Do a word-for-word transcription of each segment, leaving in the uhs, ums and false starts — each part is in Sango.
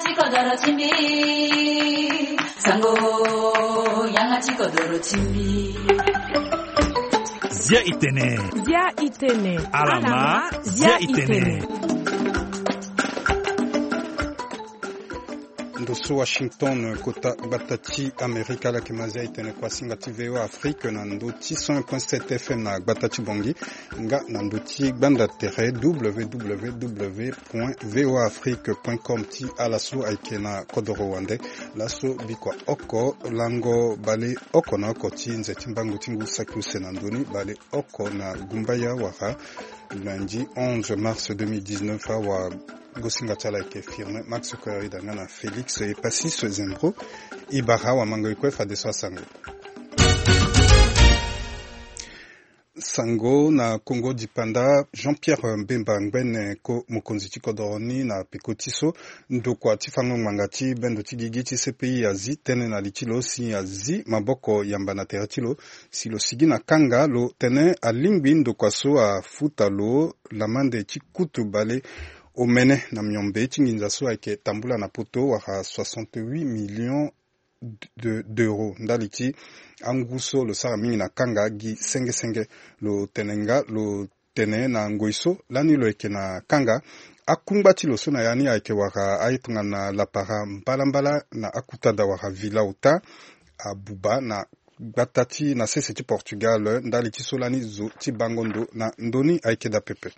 Ti kodoro ti mbi. Sango, yanga ti kodoro ti mbi. Zia itene. Zia itene. Alama, zia itene. Ndo so Washington, kota gbata ti Amerika, ala yeke ma zia itene kuasinga ti V O A Afrique na ndo ti cent un point sept F M na gbata ti Bangui, nga na ndo ti gbanda tere W W W point V O A Afrique point com. Ti ala so ayeke na kodoro wande, laso bikua oko lango bale oko na oko ti nze ti mbango ti ngu saki use na ndoni, bale oko na gumbaya wala lundi onze mars deux mille dix-neuf. Awagosinga ti ala ayeke Firmin Max Koyarida nga na Félix Epassis Zembro. E bara awamango e kue fadeso asango. Sango na Kongo dipanda, Jean-Pierre Mbemba Ngbene, ko mokonzi ti kodoro ni na peko ti so, ndokua ti fango ngbanga ti bendo ti gigi ti C P I azi tënë na li ti lo si azi maboko yamba na tere ti lo si lo sigi na kanga. Lo tene alingbi ndokua so afuta lo lamande ti kutu bale omene na miombe ti nginza so ayeke tambula na poto, wala soixante-huit millions de, d'euros, ndali ti angu so lo sara mingi na kanga gi senge senge. Lo tene nga, lo tene na ngoi so lani lo yeke na kanga, akungba ti lo so na ya ni ayeke wara aye tongana lapara mbalambala na akuta daa wara villa ota, abuba na gbata ti na sese ti Portugal, ndali ti so lani zo ti bango ndo na ndö ni ayeke daa pepe.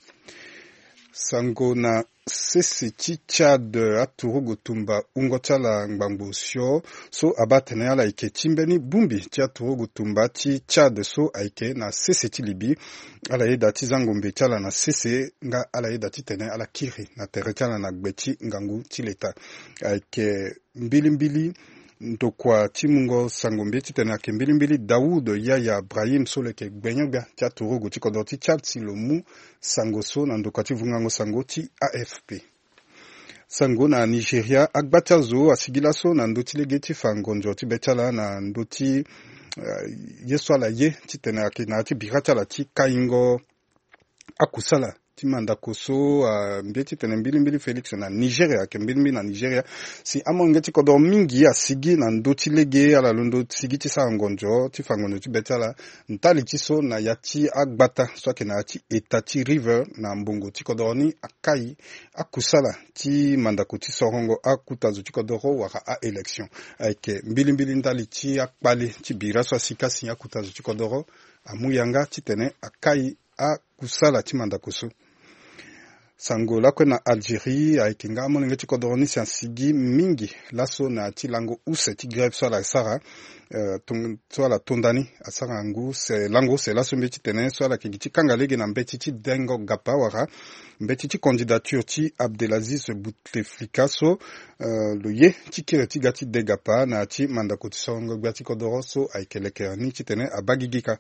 Sango na sese ti Tchad, aturugu tumba wungo ti ala ngbangbo osio so abaa atene ala yeke ti mbeni bongbi ti aturugu tumba ti Tchad so ayeke na sese ti Libye. Ala yeda ti za ngombe ti ala na sese, nga ala yeda titene ala kiri na tere ti ala na gbe ti ngangu ti leta. Ayeke mbilimbili ndokua ti mungo sango mbi titene ayeke mbilimbili Daoud Yaya Brahim so lo yeke gbenyo-gbia ti aturugu ti kodro ti Tchad si lo mu sango so na ndokua ti vungango sango ti A F P. Sango na Nigeria, agba ti azo asigi laso na ndö ti lege ti fa ngonzo ti be ti ala na ndö ti, eh, ye so ala ye titene ayeke na ya ti bira ti ala ti kaingo akusala ti mandako so, ah, mbi ye titene mbilimbili Félix na Nigeria, ayeke mbilimbili na Nigeria. Si amolenge ti kodro mingi asigi na ndö ti lege, ala londo sigi ti sara ngonzo ti fa ngonzo ti be ti ala. Ntali ti so na ya ti agbata so ayeke na ya ti eta ti River na mbongo ti kodro ni akai akusala ti mandako ti sorongo akuta zo ti kodro wala a-élection. Ayeke mbilimbili ndali ti akpale ti bira so asika si akuta zo ti kodro amu yanga titene akai akusala ti mandako so. Sango lakue na Algérie, ayeke nga amolenge ti kodro ni si asigi mingi laso na ya ti lango use ti grève so ala sara, eh, tong-, so ala tonda ni, asara ngu se, lango use laso mbi titene so ala yeke gi ti kanga lege na mbeti ti dengo gapa wala mbeti ti candidature ti Abdelaziz Bouteflika so, eh, lo ye ti kiri ti ga ti de gapa na ya ti mandako ti sorongo gbia ti kodro so ayeke lekere ni titene abaa gigi kâ.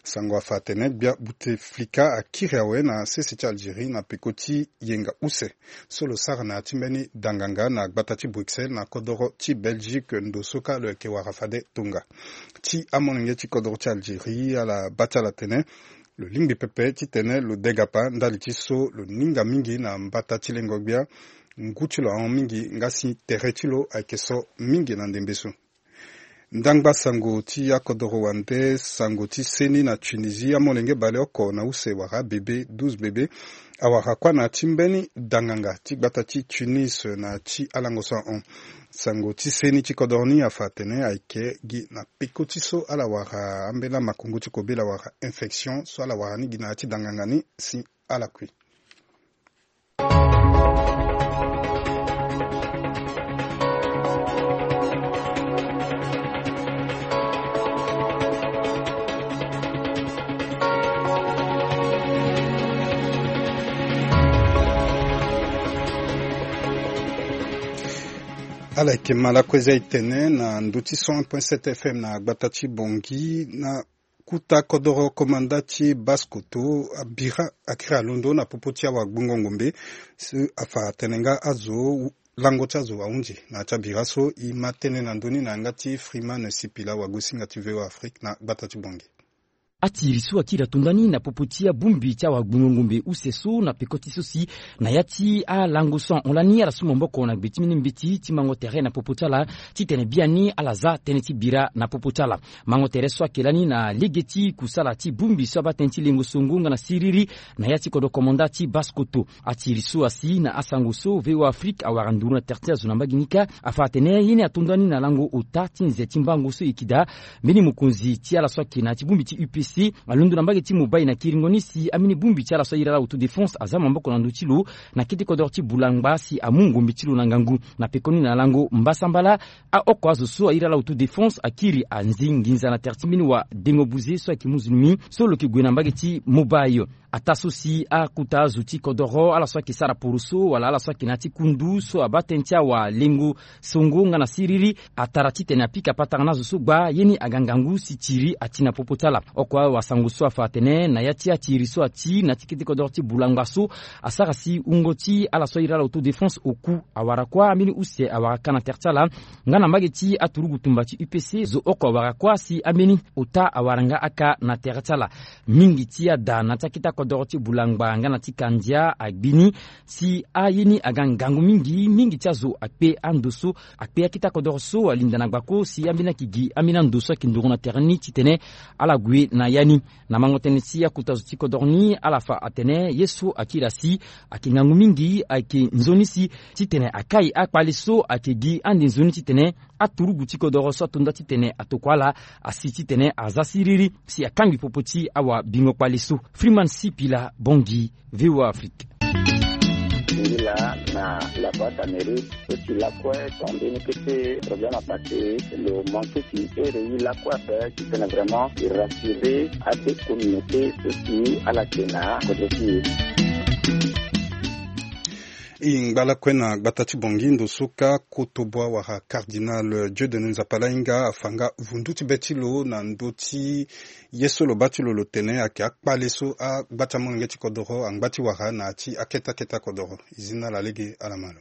Sango afa atene gbia Bouteflika akiri awe na sese ti Algérie na peko ti yenga use so lo sara na ya ti mbeni danganga na gbata ti Bruxelles na kodro ti Belgique, ndo so kâ lo yeke wara fade tonga. Ti amolenge ti kodro ti Algérie, ala baa ti ala tene lo lingbi pepe titene lo de gapa ndali ti so lo ninga mingi na mbata ti lengo gbia. Ngu ti lo ahon mingi nga si tere ti lo ayeke so mingi na ndembe so. Ndangba sango ti akodoro wande, sango ti seni na Tunisie, amolenge baleoko na use wala bebe, douze bebe, awara kuâ na ya ti mbeni danganga ti gbata ti Tunis na ya ti alango so ahon. Sango ti seni ti kodoro ni afa atene ayeke gi na peko ti so ala wara ambeni amakongo ti kobela wala infection so ala wara ni gi na ya ti danganga ni si ala kui. Ala yeke ma lakue za etene na ndö ti cent un point sept F M na gbata ti Bangui na kuta kodoro komanda ti Basse-Kotto, abira akiri alondo na popo ti awagbongo ngombe. Si afa atene nga azo, lango ti azo ahunzi na ya ti abira so. E ma tënë na ndö ni na yanga ti Freeman Sipila, wagosinga ti V O A Afrique na gbata ti Bangui. Atiri so akiri atonda ni na popo ti abongbi ti awagbungo ngombe use so na peko ti so si na ya ti alango so ahon lani ala su maboko na gbe ti mbeni mbeti ti mango tere na popo ti ala, titene biani ala za tënë ti bira na popo ti ala. Mango tere so ayeke lani na lege ti kusala ti bongbi so abaa tënë ti lengo songo nga na siriri na ya ti kodro komanda ti Basse-Kotto. Atiri so asi na asango so V O A Afrique awara nduru na tere ti azo na mbage ni kâ, afa atene ye ni atonda ni na lango ota ti nze ti mbango so e yeke daa mbeni mokonzi ti ala so ayeke na ya ti bongbi ti U P C alondo na mbage ti Mobaye na kiringo ni si ambeni bongbi ti ala so ahiri ala autodéfense aza maboko na ndö ti lo na kete kodoro ti Boulangba si amu ngombe ti lo na ngangu. Na pekoni na lango mbasambala, aoko azo so ahiri ala autodéfense akiri anzi nginza na tere ti mbeni wadengo buze so ayeke muzulmi so lo yeke gue na mbage ti Mobaye. Ataa so si akuta azo ti kodoro, ala so ayeke sara poroso wala ala so ayeke na ya ti kundu so abaa tënë ti awalengo songo nga na siriri, atara titene apika patara na azo so gbaa ye ni aga ngangu si tiri ati na popo ti ala. Oko awasango so afa atene na ya ti atiri so ati na ya ti kete kodoro ti Boulangba so asara si wungo ti ala so ahiri ala autodéfense oku awara kuâ, ambeni use awara kâ na tere ti ala. Nga na mbage ti aturugu tumba ti U P C, zo oko awara kuâ si ambeni ota awara nga akâ na tere ti ala. Mingi ti ada na ti akete akodoro ti Boulangba nga na ti Kandia agbi ni si aye ni aga ngangu mingi. Mingi ti azo akpe ando so akpe akete akodoro so alinda na gbako si ambeni ayeke gi ambeni ando so ayeke nduru na tere ni titene ala gue na ya ni. Na mango tënë ti akuta zo ti kodoro ni, ala fa atene ye so akiri asi ayeke ngangu mingi, ayeke nzoni si titene akai akpale so ayeke gi ande nzoni titene aturugu ti kodoro so atonda titene atokua ala asi titene aza siriri si akangbi popo ti awabingo kpale so. Freeman Sipila, Bangui, V O A Afrique. Singila na la boîte Amérique, so si lakue tonde ni kete problème apassé, lo manqué si ere ye lakue ape titene vraiment e rassurer abe communauté so si ala yeke na kodro ti e. E ngba lakue na gbata ti Bangui ndo so kâ Kotoboa wala Cardinal Dieudonné Nzapa Lahinga afa nga vundu ti be ti lo na ndö ti ye so lo baa ti lo lo tene ayeke akpale so agba ti amolenge ti kodoro angba ti wara na ya ti akete akete akodoro. E zi na ala lege, ala ma lo.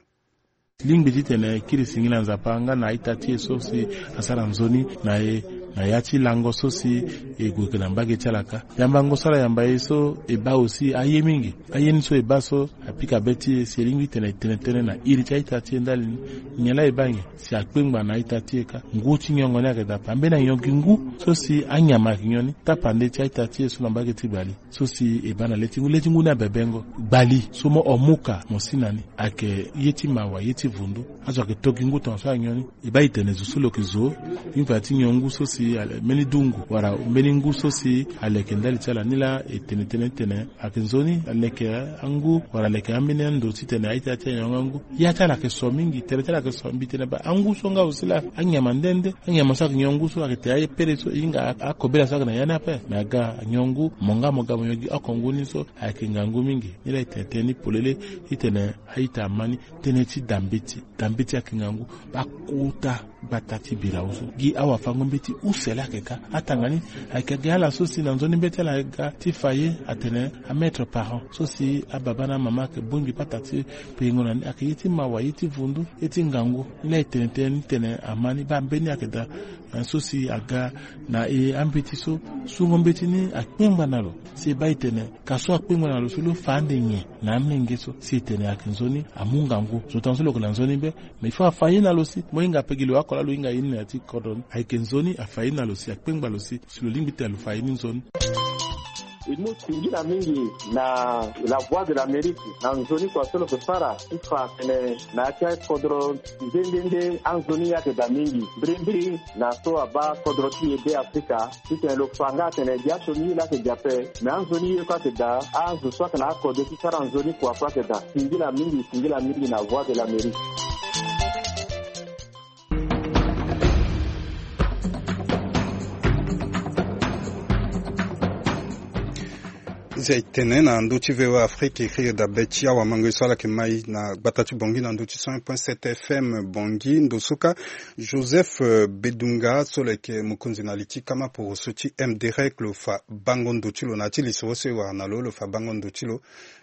Lingbi titene e kiri singila Nzapa nga na a-ita ti e so si asara nzoni na e na ya ti lango so si e gue yeke na mbage ti ala kâ. Yamba ngu so ala yamba e so e baa aussi aye mingi. Aye ni so e baa so apika be ti e si e lingbi titene e tene tënë na iri ti a-ita ti e ndali ni. Nyen laa e baa nyen? Si akpengba na a-ita ti e kâ. Ngu ti nyongo ni ayeke daa ape. Ambeni anyon gi ngu so si anyama ayeke nyon ni tapande ti a-ita ti e so na mbage ti gbali. So si e baa na le ti ngu, le ti ngu ni abebengo. Gbali so mo omuka mo si na ni ayeke ye ti mawa, ye ti vundu. Azo ayeke to gi ngu tongaso anyon ni. E baa e tene zo so lo yeke zo, mbi fa ti nyon ngu so si ale mbeni dungu wala mbeni ngu so si aleke ndali ti ala ni laa e tene tënë titene ayeke nzoni aleke angu wala aleke ambeni ando titene a-ita ti e anyon nga ngu. Ya ti ala ayeke so mingi, tere ti ala ayeke so. Mbi tene baa angu so nga aussi laa anyama nde nde. Anyama so ayeke nyon ngu so ayeke tene aye pere so e hinga akobela so ayeke na ya ni ape. Me aga anyon ngu, mo nga mo ga mo nyon gi oko ngu ni so ayeke ngangu mingi. Ni laa e tene tënë ni polele titene a-ita ama ni. Tënë ti dambeti, dambeti ayeke ngangu. Bakota gbata ti bira use gi awafango-mbeti use laa ayeke kâ. Atanga ni ayeke gi ala so si na nzoni mbeti ala ayeke ga ti fa ye atene amaître parent so si ababa na amama ayeke bongbi pata ti peingo na ni ayeke ye ti mawa, ye ti vundu, ye ti ngangu. Ni laa e tene tënë ni titene ama ni baa mbeni ayeke daa. Eh, so si aga na e ambeti so sungo mbeti ni akpengba na lo. Si e baa e tene ka so akpengba na lo so lo fa ande nyen na amolenge so si e tene ayeke nzoni amu ngangu. Zo tongaso lo yeke na nzoni be. Mais il faut afa ye na lo si mo hinga ape gi lo oko laa lo hinga ye ni na ya ti kodro ni. Ayeke nzoni afa ye na lo si akpengba lo si, si lo lingbi tene lo fa ye ni nzoni. E mu singila mingi na La Voix de l'Amérique na nzoni kua so lo yeke sara ti fa atene na ya ti akodro nde nde nde anzoni ayeke daa mingi. Mbirimbiri na so abaa kodro ti e Be Afrika, titene lo fa nga atene gi asioni ye laa ayeke gi ape, me anzoni ye kue ayeke daa, azo so ayeke na akode ti sara nzoni kua kue ayeke daa. Singila mingi, singila mingi na Voix de l'Amérique. Nze e tene na ndö ti V O A Afrique, e kiri dabe ti awamango ye so ala yeke mai na gbata ti Bangui na ndö ti cent un point sept F M Bangui. Ndo so kâ Joseph, eh, Bedunga so lo yeke mokonzi na li ti kama poroso ti M D R E C lo fa bango ndo ti lo na ya ti lisoro so e wara na lo, lo fa bango ndo ti lo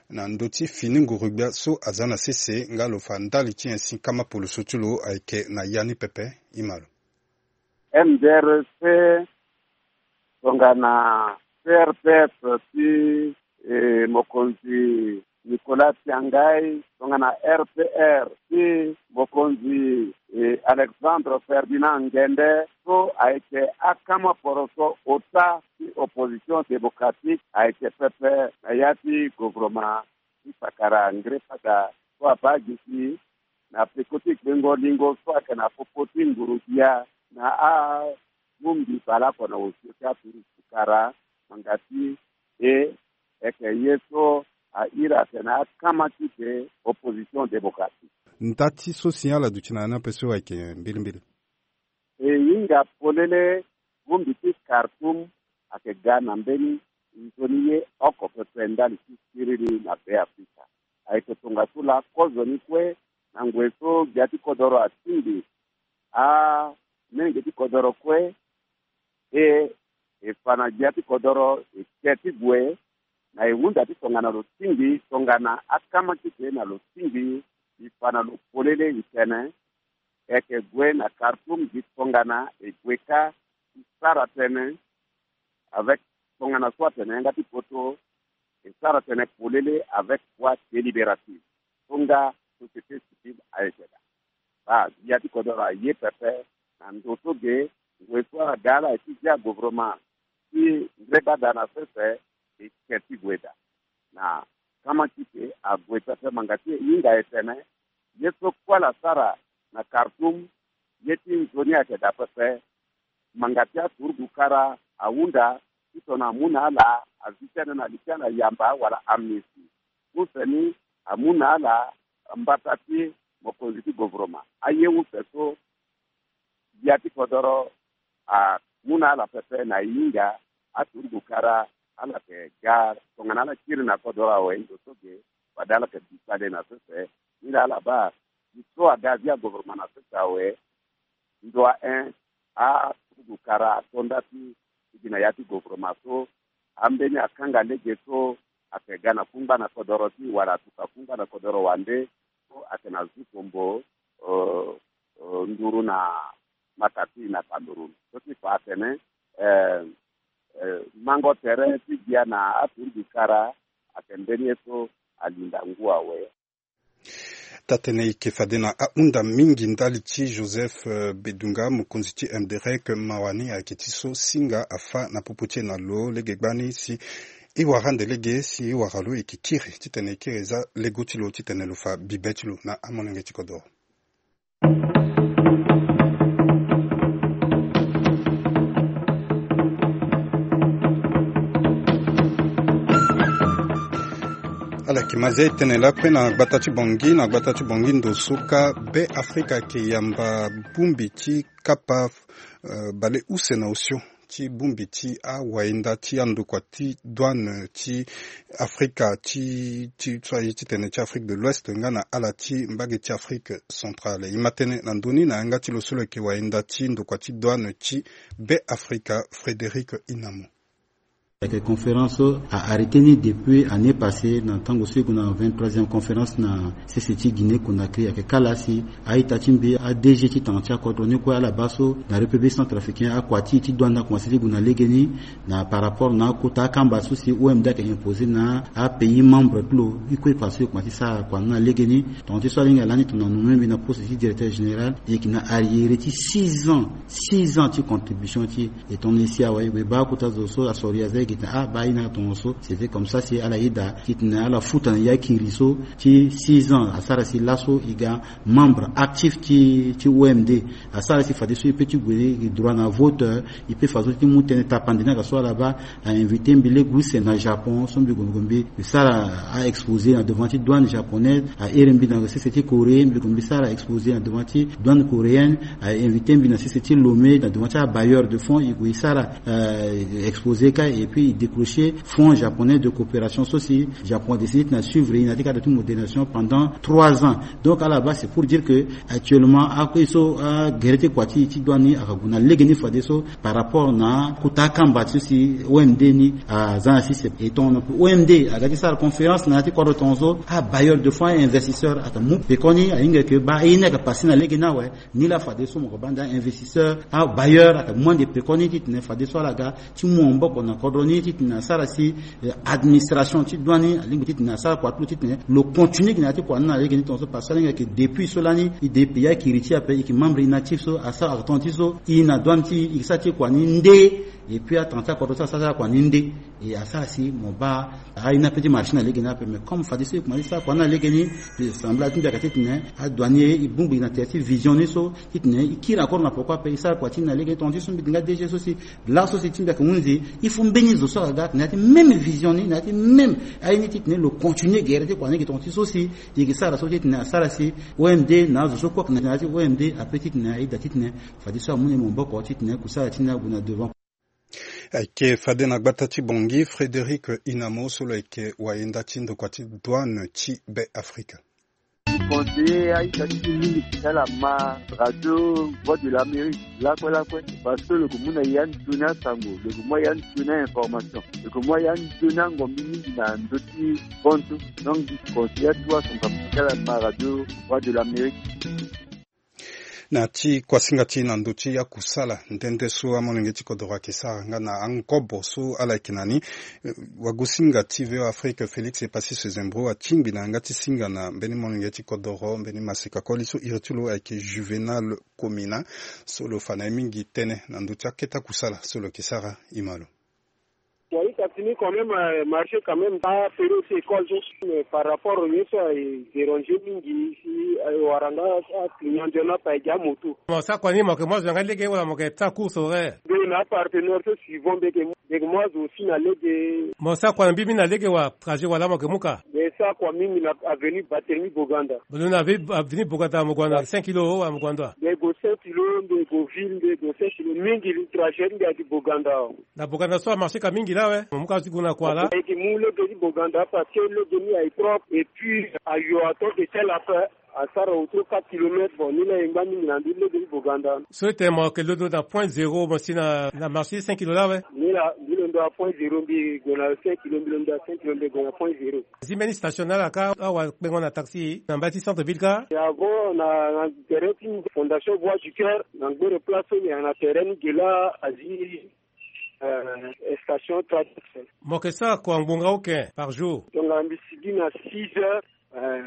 na ndö ti fini nguru-gbia so aza na sese nga lo fa ndali ti nyen si kama poroso ti lo ayeke na ya ni pepe. E ma lo. M D R E C tongana C R P F ti, eh, mokonzi Nicolas Tiangai, tongana R P R ti mokonzi, eh, Alexandre Ferdinand Ngende, so ayeke akama poroso ota ti opposition démocratique ayeke pepe na ya ti gouvernement ti sakara ngre fada so abaa gi si na peko ti gbengo lingo so ayeke na popo ti nguru bia na abongbi baleoko na osio ti aturusu kara manga ti e, eke ye so a iri atene akama ti de opposition démocratique. Nda ti so si ala duti na ya ni ape so ayeke mbilimbili. E hinga polele, bongbi ti Khartoum ayeke ga na mbeni nzoni ye oko pepe ndali ti siriri na Be Afrika. Ayeke tongaso laa kozoni kue na ngoi so gbia ti kodoro atingbi amenge ti kodoro kue, e, e fa na gbia ti kodoro e ke ti gue na e hunda ti tongana lo tingbi, tongana akama ti gue na lo tingbi, e fa na lo polele e tene, e yeke gue na Khartoum gi tongana e gue kâ ti sara tënë avec, tongana so atene yanga ti poto, e sara tënë polele avec voix délibérative. So nga société civile ayeke daa. Baa, gbia ti kodoro aye pepe na ndo so ge, ngoi so aga ala ye ti zia gouvernement ti ndre bada na sese, e ke ti gue daa. Na kama ti ke ague pepe manga ti e hinga e tene, ye so kue ala sara na Khartoum, ye ti nzoni ayeke daa pepe. Manga ti aturugu kara ahunda titene amu na ala avi tënë na li ti ala yamba wala amnistie. Use ni amu na ala mbata ti mokonzi ti gouvernement. Aye use so gbia ti kodoro amu na ala pepe na e hinga, aturugu kara ala yeke ga tongana ala kiri na kodoro awe ndo so ge, fade ala yeke bi kpale na sese. Ni laa ala baa, e so aga via gouvernement na sese awe, ndo ahen, aturugu kara ato nda ti gi na ya ti gouvernement so, ambeni akanga lege so ayeke ga na kungba na kodoro ti wala atuka kungba na kodoro wande, so ayeke na zu kombo, eh, eh, nduru na mata ti na Cameroun. So ti fa atene, eh, eh, mango tere ti gbia na aturugu kara ayeke mbeni ye so alinda ngu awe. Taa-tënë eke fade na ahunda mingi ndali ti Joseph, eh, Bedunga, mokonzi ti M D R E C, mawa ni ayeke ti so singa afâ na popo ti e na lo lege gbani si e wara ande lege si e wara lo e yeke kiri titene e kiri e zia lego ti lo titene lo fa bibe ti lo na amolenge ti kodoro. Ala yeke ma zia e tene lakue na gbata ti Bangui, na gbata ti Bangui ndo so kâ Be Afrika ayeke yamba bongbi ti kapa, eh, bale use na osio ti bongbi ti awayenda ti andokua ti douane ti Afrika ti, ti, so aye titene ti Afrique de l'Ouest nga na ala ti mbage ti Afrique centrale. E ma tënë na ndö ni na yanga ti lo so lo yeke wayenda ti ndokua ti douane ti Be Afrika, Frédéric Inamo. Ayeke conférence so a arrêté ni depuis année passée na tango so e gue na vingt-troisième conférence na sese ti Guinée Conakry. Ayeke kâ laa si a-ita ti mbi, a-D G ti tanga ti akodro ni kue ala baa so na République centrafricaine akua ti e ti douane akomanse ti gue na legeni na par rapport na akota akamba so si O M D ayeke imposer na apays membre ti lo. E kue e fa so e komanse ti sara kua ni na legeni. Tongana ti so alingbi alani tongana nommé mbi na poste ti directeur général, e yeke na arriéré ti six ans, six ans ti contribution ti e. E tongana e si awe, e gue e baa akota zo so asori aza e gi tene ah baa e na tongaso. C'était comme ça si ala yeda titene ala futa na ya kiri so ti six ans asara si laso e ga membre actif ti, ti O M D. Asara si fadeso e peut ti gue e droit na vote, e peut fadeso ti mu tënë tapande ni ayeke so ala baa. A invité mbi lege use na Japon so mbi gue mbi gue mbi sara a-exposé na devant ti douane japonaise. A iri mbi na sese ti Corée, mbi gue mbi sara exposé na devant ti douane coréenne. A invité mbi na sese ti Lomé na devant ti abailleur de fonds, e gue e sara, euh, exposé kâ, et puis e décrocher fonds japonais de coopération so si Japon adécidé ti na suivre e na ya ti cadre ti modernisation pendant trois ans. Donc à la base c'est pour dire que actuellement akue so agere ti kua ti, ti douane ni ayeke gue na legeni fadeso par rapport na kota akamba ti so si O M D ni aza na sese. E tongana O M D aga ti sara conférence na ya ti kodro tongaso, abailleur de fonds, ainvestisseur ayeke mu pekoni, ahinga yeke baa e ni ayeke passé na legeni awe. Nilaa fadeso mo yeke baa nda investisseur, abailleur ayeke mu ande pekoni titene fadeso ala ga ti mu maboko na kodro Ni titene asara si administration ti douane ni alingbi titene asara kua ti lo titene lo continue gi na ya ti kua ni na lege ni tongaso parce que alingbi ayeke depuis so lani e de pays akiri ti e ape e yeke membre inactif so asara tonga ti so e na douane ti e e ke sara ti e kua ni nde. Et puis atanga ti akua so asara ti akua ni nde. E asara si mo baa aye ni ape ti marché na lege ni ape mais comme fadeso e kuma ti sara kua ni na lege ni. Semble ti mbi ayeke titene adouanier e bongbi na tere ti vision ni so titene e kiri encore na poko ape e sara kua ti e na lege ni tonga ti so mbi dinga dg so si laso si ti mbi ayeke hunzi il faut mbeni zo so aga na ya ti même vision ni na ya ti même aye ni titene lo continue gere ti kua ni gi tonga ti so si e yeke sara so titene asara si omd na azo so kue ayeke na ya ti omd ape titene aye daa titene fadeso amu na e maboko titene kusala ti ni ague na devant. Ayeke fade na gbata ti bongi frédéric inamo so lo yeke wayenda ti ndokua ti douane ti be afrika. Conseiller aita ti mingi ti ala ma radio voix de l'amérique lakue lakue parce que lo ke mu na ya nzoni asango lo ke mu ya nzoni a information lo ke mu ya nzoni angombi mingi na ndö ti bontu. Donc conseiller atu aso ngam ti ala ma radio voix de l'amérique. Na ti kuasinga ti na ndö ti akusala nde nde so amolenge ti kodoro ayeke sara nga na angobo so ala yeke na ni. Wagosinga ti voa afrique félix epassis zembro atingbi na yanga ti singa na mbeni molenge ti kodoro mbeni maseka koli so iri ti lo ayeke juvenal comina so lo fa na ye mingi tënë na ndö ti akete akusala so lo yeke sara. Ima lo. Wali kasi ni quand même marché quand même apériode ti école so mais par rapport ye so aye déranger mingi si aye wara nga aclient nzoni ape aye gi amoto. Mo sara kua ni mo yeke mu azo na nga lege wala mo yeke sara course horaire? Mbi na apartenaire so suivant mbi yeke mu mbi yeke mu azo aussi na lege. Mo sara kua na mbi mingi na lege wala trajet wala mo yeke mu ka? Mbi sara kua mingi na avenue Barthélemy Boganda. Mo londo na avenue Boganda mo gue na cinq kilo wala mo gue na ndo? Mbi gue cinq kilo mbi gue ville mbi gue cinq kilo mingi trajet mbi agi Boganda. Na boganda so amarché ka mingi la awe mo mu ka ti gue na kua la. Ayeke mu lege ti boganda parce que lege ni aye propre et puis ayo ato de tel ape. Asara otro quatre kilomètre bon ni la ye ngba mingi na ndö ti lege ti boganda. So ete mo yeke londo na point zéro mo si na marché cinq kilo la awe. Ni la mbi londo na point zéro mbi gue na cinq kilo mbi londo na cinq kilo mbi gue na point zéro. Zi mbeni station na ala ka awa kpengo na taxi na mbage ti centre ville ka. Avant na na tere ti fondation voie du cœur na ngbere place so ni na tere ni ge la azi. Station traduction. Mo yeke sara kua ngbonga oke par jour? Tongana mbi sigi na six heures.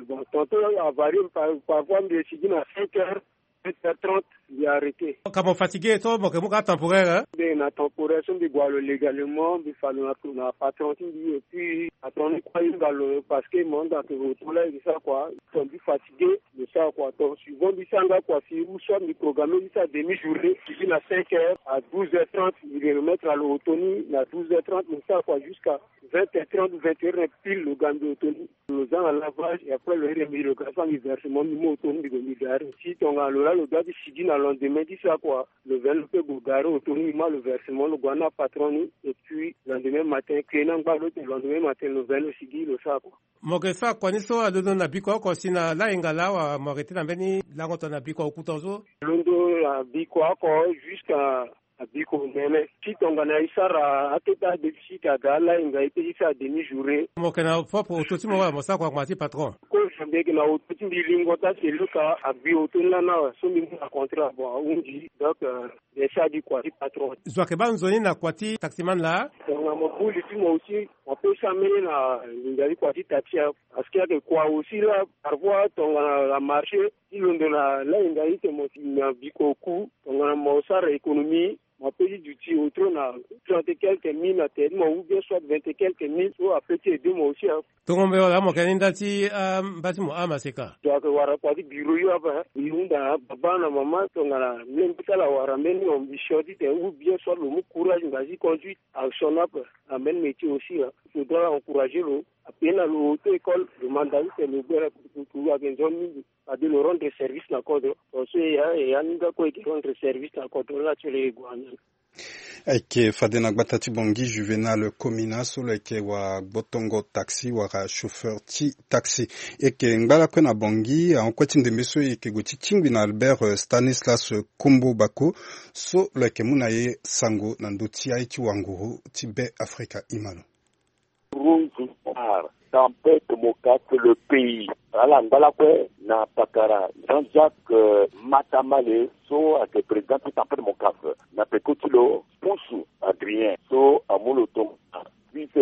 Bon tonton avarie parfois mbi sigi na cinq heures. Cinq heures trente mbi arrêté. Ka mo fatigué so mo yeke mu ka temporaire? Mbi na temporaire so mbi gue lo légalement mbi fa lo na patron ti mbi et puis patron ni kue ahinga lo parce que mo hinga ke oto la e ke sara kua. Ton mbi fatigué. Mbi sara kua ton suivant mbi sara nga kua si ou soit mbi programme mbi sara demi journée mbi gi na cinq heures à douze heures trente mbi remettre na lo oto ni na douze heures trente mbi sara kua jusqu'à vingt heures trente vingt heures na pile lo ga mbi oto ni. Lo za na lavage et après lo iri mbi lo ga fa mbi versement mbi mu oto ni mbi gue mbi gare si tongana lo la lo doit ti sigi na lendemain ti sara kua. Lo veni lo pe gue gare oto ni mbi ma lo versement lo gue na patron ni et puis lendemain matin clé ni angba lo te lendemain matin lo veni lo sigi lo sara kua. Mo yeke sara kua ni so alondo na bikua oko si na layenga laa wala mo yeke tena mbeni lango tongana bikua oku tongaso? Londo na bikua oko jusqu'à na bikua omene si tongana e sara akete adéficit aga alayenga e pe ti sara demi journée. Mo yeke na propre oto ti mo wala mo sara kua ngbanga ti patron? Kozo mbi yeke na oto ti mbi lingo ta se luka agbi oto ni lani awe so mbi mu na contrat bon ahunzi donc. Mbi sara gi kua ti patron. Zo ayeke baa nzoni na kua ti taximan laa? Tongana mo buli ti mo aussi mo pesa mbeni na linga ti kua ti taxi ape. Parce que ayeke kua aussi la parfois tongana la marché ti londo na lainga ite mo si na biko oku tongana mo sara économie mo pe ti duti otro na trente quelque mille na tere ti mo ou bien soit vingt quelque mille so ape ti aide mo aussi. Tongo mbe wala amo kena ni nda ti amba ti mo ama seka. Donc wara kua ti biro yo ape. Yo hunda baba na mama tongana mbi mbi sala wara mbeni ambition ti tene ou bien soit lo mu courage ngba ti conduite action ape. Na mbeni métier aussi. Faudra encourager lo. Ape na lo auto école lo manda ti tene lo gbere. Kuru ayeke nzoni mingi. Fade lo rendre service na kodro. Bon so e ya e ya ni nga kue e ke rendre service na kodro la ti lo e gue ande. Ayeke fade na gbata ti bongi juvenal comina so lo yeke wa gbotongo taxi wala chauffeur ti taxi. E yeke ngba lakue na bongi ahon kue ti ndembe so e yeke gue ti tingbi na albert stanislas kombo bako so lo yeke mu na ye sango na ndö ti aye ti wanguru ti be afrika ima lo. Rose noire tempête mokafe le pays. Ala ngba lakue na pakara jean-jacques matamale so ayeke président ti tempête mokafe na peko ti lo pusu adrien so amu lo tonga.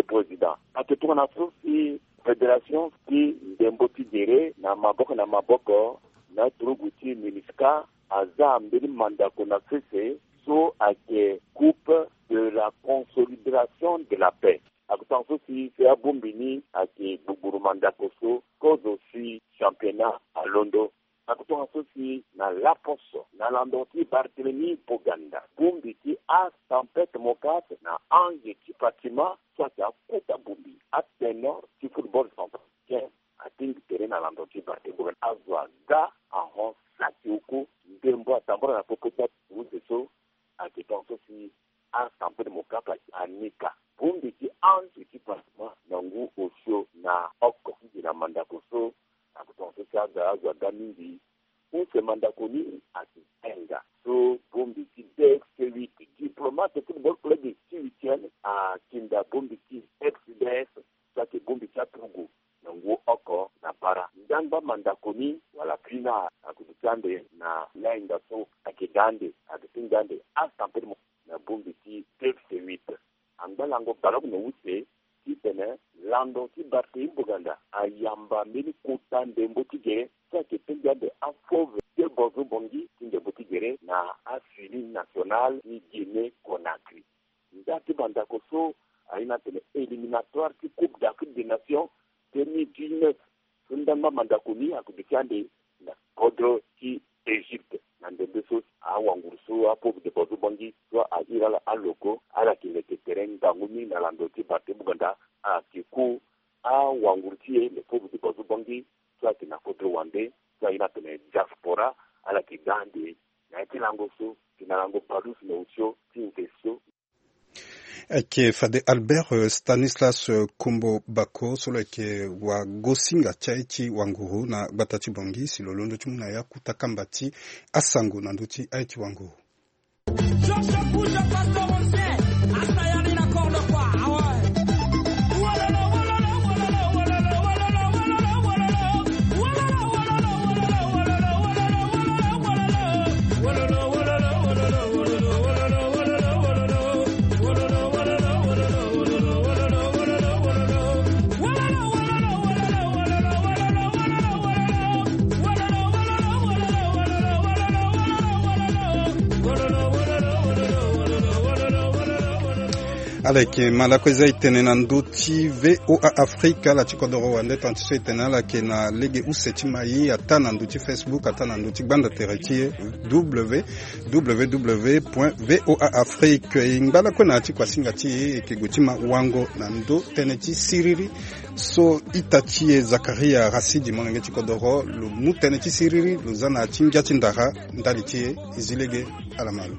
Président ake tongana so si fédération ti ndembo ti gere na maboko na maboko na turugu ti MINUSCA aza mbeni mandako na sese so ake coupe de la consolidation de la paix. Akotonga so si si abongbi ni ake gbugburu mandako so kozo si championnat alondo. Akotonga so si na laposo na lando ti Barthélemy Boganda, bongbi ti asampete mokate na ange ti Fatima so ake akota bongbi atenor ti football centrafricain atingbi tere na lando ti Barthélemy Boganda azo aga ahon saki oko ndembo atambula na popo ti use so ake tonga so si asampete mokate anika bongbi ti ange ti Fatima na ngu osio na oko ti gi na mandako so. Akotonga so si aga azo aga mingi. Use mandako ni ake hinga so bongbi ti D F C huit, Diplomate Football Club ti huitième akinda bongbi ti F C D S so ake bongbi ti aturugu na ngu oko na bara. Ndangba mandako ni wala prina akoduti ande na lahinga so ake ga ande aduti nda ande asampete mo na bongbi ti D F C huit. Angba lango baleoko na use titene lando ti Barthélemy Boganda ayamba mbeni kota ndembo ti gere so ake tingbi ande afauve ti bozo bongi ti ndembo ti gere na afini nationale ti Guinée Conakry. Nda ti mandako so aye ni atene éliminatoire ti Coupe d'Afrique des Nations deux mille dix-neuf so ndangba mandako ni akoduti ande na kodro ti Égypte. Na ndembe so awanguru so afauve ti bozo bongi so ahiri ala aloko ala yeke leke tere ngangu mingi na lando ti Barthélemy Boganda ake ku awanguru ti e le fauve ti bozo bongi so ayeke na kodro wande so aye ni atene diaspora ala yeke ga ande na ya ti lango so ti na lango palusu na osio ti nze so. Ayeke fade Albert eh, Stanislas eh, Kombo Bako so lo yeke wagosinga ti aye ti wanguru na gbata ti Bangui si lo londo ti mu na ya kota kamba ti asango na ndö ti aye ti wanguru. Ala yeke ma lakue za e tene na ndö ti VOA Afrique ala ti kodoro wande tongana ti so e tene ala yeke na lege use ti ma ye ataa na ndö ti Facebook ataa na ndö ti gbanda tere ti e. W W W point VOA Afrique e ngba lakue na ya ti kuasinga ti e e yeke gue ti ma wango na ndö tënë ti siriri so ita ti e Zakaria Rasidi molenge ti kodoro lo mu tënë ti siriri lo za na ya ti ngia ti ndara ndali ti e. E zi lege ala ma lo.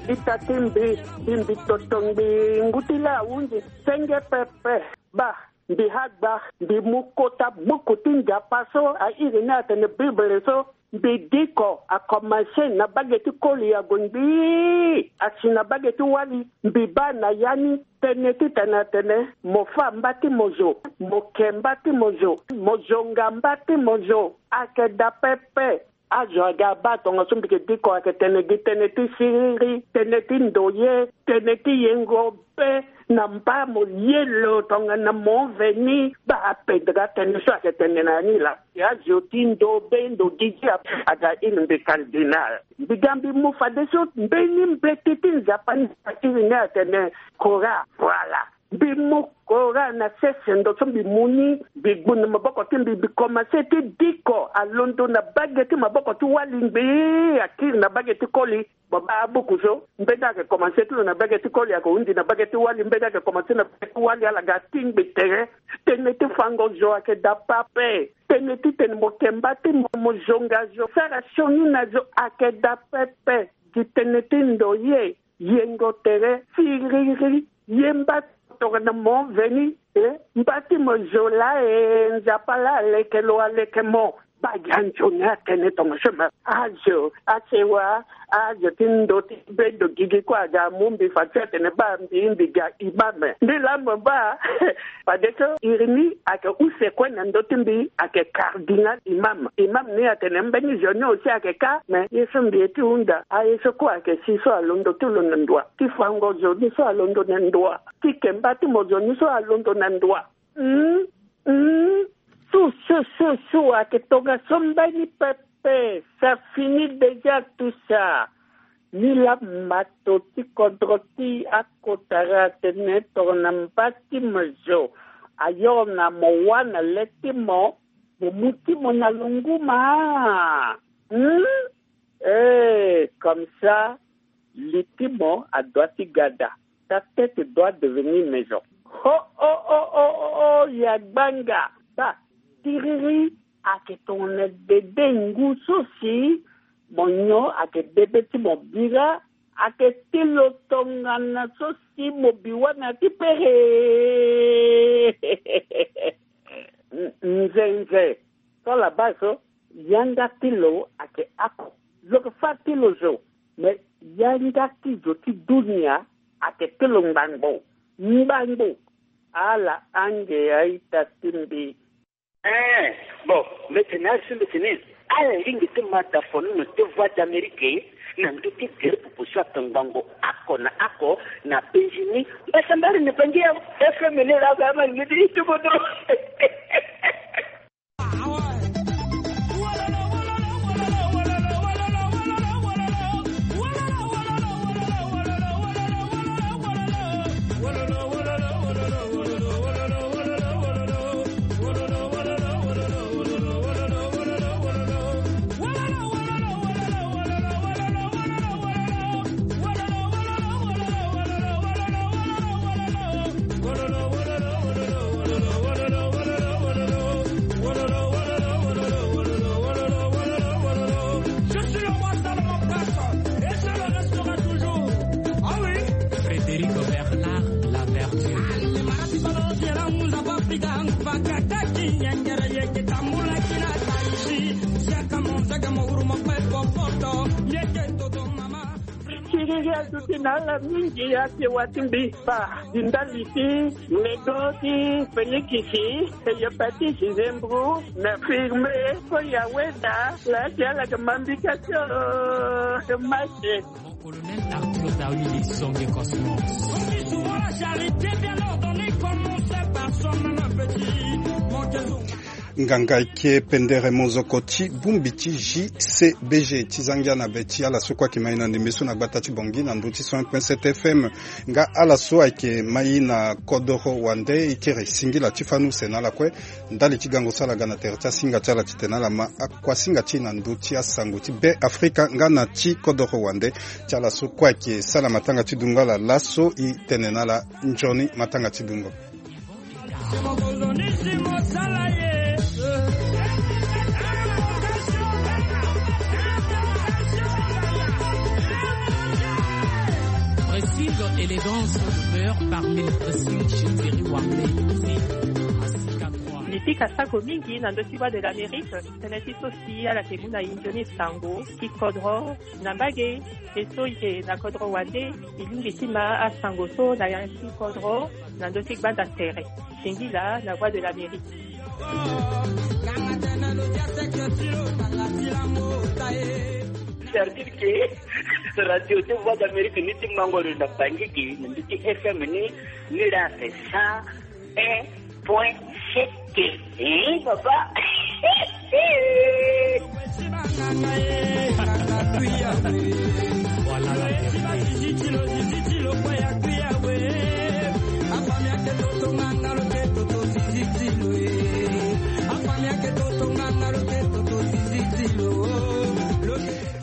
Ita ti mbi, mbi mbi toto ngbii ngu ti laa ahunzi senge pepe. Baa, mbi ha gba, mbi mu kota buku ti Nzapa so a iri ni atene Bible so. Mbi diko akomanse na bage ti koli ague ngbii asi na bage ti wali. Mbi baa na ya ni tënë titene atene mo fâ mba ti mo zo, mo ke mba ti mo zo, mo zonga mba ti mo zo. Ayeke daa pepe. Azo aga abaa tongaso mbi yeke diko ayeke tene gi tënë ti siriri, tënë ti ndoye, tënë ti yengo be na mba mo ye lo tongana mo veni. Baa apedre atënë so ayeke tene na ya ni laa. Azo ti ndo be ndo gigi aga iri mbi cardinal. Mbi ga mbi mu fadeso mbeni mbeti ti Nzapa ni iri ni atene Coran. Voilà. Mbi mu Coran na sese ndo so mbi mu ni, mbi gbu na maboko ti mbi, mbi komanse ti diko alondo na bage ti maboko ti wali ngbii akiri na bage ti koli. Mo baa abuku so, mbeni ayeke komanse ti lo na bage ti koli ayeke hundi na bage ti wali, mbeni ayeke komanse na bage ti wali ala ga atingbi tere. Tënë ti fango zo ayeke daa pepe. Tënë titene mo ke mba ti mo, mo zonga zo, sara sioni na zo ayeke daa pepe. Gi tënë ti ndoye, yengo tere, siriri, ye mba ti mo tongana mo veni. E mba ti mo zo laa e, Nzapa laa aleke lo aleke mo. Baa gi anzoni atene tongaso ma azo asewa. Azo ti ndö ti be ndo gigi kue aga amu mbi fa ti atene baa mbi mbi ga imam. Mbi laa mo baa fadeso iri ni ayeke use kue na ndö ti mbi ayeke cardinal imam. Imam ni atene mbeni zo ni aussi ayeke ka, me ye so mbi ye ti hunda aye so kue ayeke si so alondo ti lo na ndoa ti fango zo ni so alondo na ndoa ti kemba ti mo zo ni so alondo na ndoa. Hum, hum. Su su su su ayeke tongaso mbeni pepe. Ça finit déjà tout ça. Ni laa mato ti kodro ti akotara atene tongana mba ti mo zo ayoro na mo wâ na le ti mo, mo mu ti mo na longuma. Hum. Eh, comme ça, li ti mo adoit ti gada. Ta tête doit devenir maison. Ho ho ho ho ho ho, ya gbanga. Ba tiriri ayeke tongana dede ngu so si mo nyon ayeke dede ti mo bira. Ayeke ti lo tongana so si mo bi wâ na ti pere. Nzenze. So laba so yanga ti lo ayeke ako. Lo yeke fâ ti lo zo. Me yanga ti zo ti dunia ayeke ti lo ngbangbo. Ngbangbo. Ala ange aita ti mbi. Eh, bon, mbi tene asi mbi tene ala lingbi ti ma da fonono ti Voix d'Amérique na ndö ti gere pupu so ayeke ngbangbo ako na ako na penzi ni. Mbasambari na bangi ya F M ni laa ba ama lingbi ti ti kodro. Je suis le roi Salomon Prince et je le resterai toujours. Ah oui. Frédéric Bernard Laverture. Tiriri aduti na ala mingi ake wa ti mbi. Ba di ndali ti ledo ti Félix, e yepatisi Zembro na firme ko ya weda la ti ala ke mambika ti o mache. Colonel Arthur Dawili, Songe Cosmos. On dit souvent la charité bien ordonnée commence par soi-même petit. Mon Dieu. Nganga eke pendere mozoko ti bongbi ti J C B G ti za ngia na be ti ala so kue ayeke ma e na ndembe so na gbata ti Bangui na ndö ti cent un point sept F M. Nga ala so ayeke ma e na kodoro wande, e kiri singila ti fâ ni use na ala kue. Ndali ti gango so ala ga na tere ti asinga ti ala titene ala ma akuasinga ti e na ndö ti asango ti Be Afrika nga na ti kodoro wande. Ti ala so kue ayeke sala matanga ti dungo ala laso, e tene na ala nzoni matanga ti dungo. Pressing, élégance, demeure parmi les pressings chez Thierry Warley. Mbi pika sako mingi na ndö ti Voix de l'Amérique, tënë ti so si ala yeke mu na e nzoni sango ti kodro na mbage. E so e yeke na kodro wande, e lingbi ti ma asango so na ya ti kodro na ndö ti gbanda tere. Singila na Voix de l'Amérique. C'est-à-dire que radio ti Voix d'Amérique ni ti mango lo na Bangui, na ndö ti F M ni, ni la c'est cent un point sept. Hein, papa. Voilà la vérité.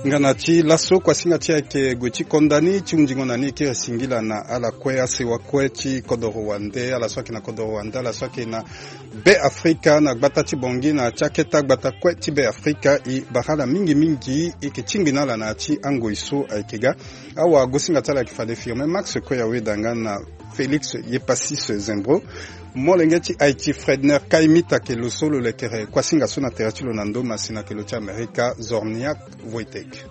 Nga na ti laso kuasinga ti e ayeke gue ti konda ni ti hunzingo na ni, e kiri singila na ala kue, asewa kue ti kodoro wande, ala so ayeke na kodoro wande, ala so ayeke na Be Afrika, na gbata ti Bangui, na ti aketa gbata kue ti Be Afrika. E bara ala mingi mingi, e yeke tingbi na ala na ya ti angoi so ayeke ga. Awagosinga ti ala ayeke fade Firmin Max Koyaweda nga na Félix Yepasis Zembro. Molenge ti Haïti Fredner Kaimit ayeke lo so lo lekere kuasinga so na tere ti lo na ndo masina ayeke lo ti Amerika Zorniak Wojtek.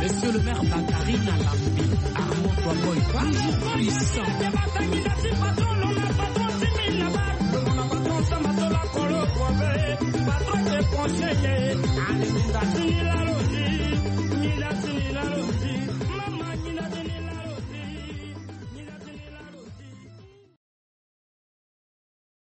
Monsieur le maire Bakarina Lambi, Armand Toaboy, toujours puissant.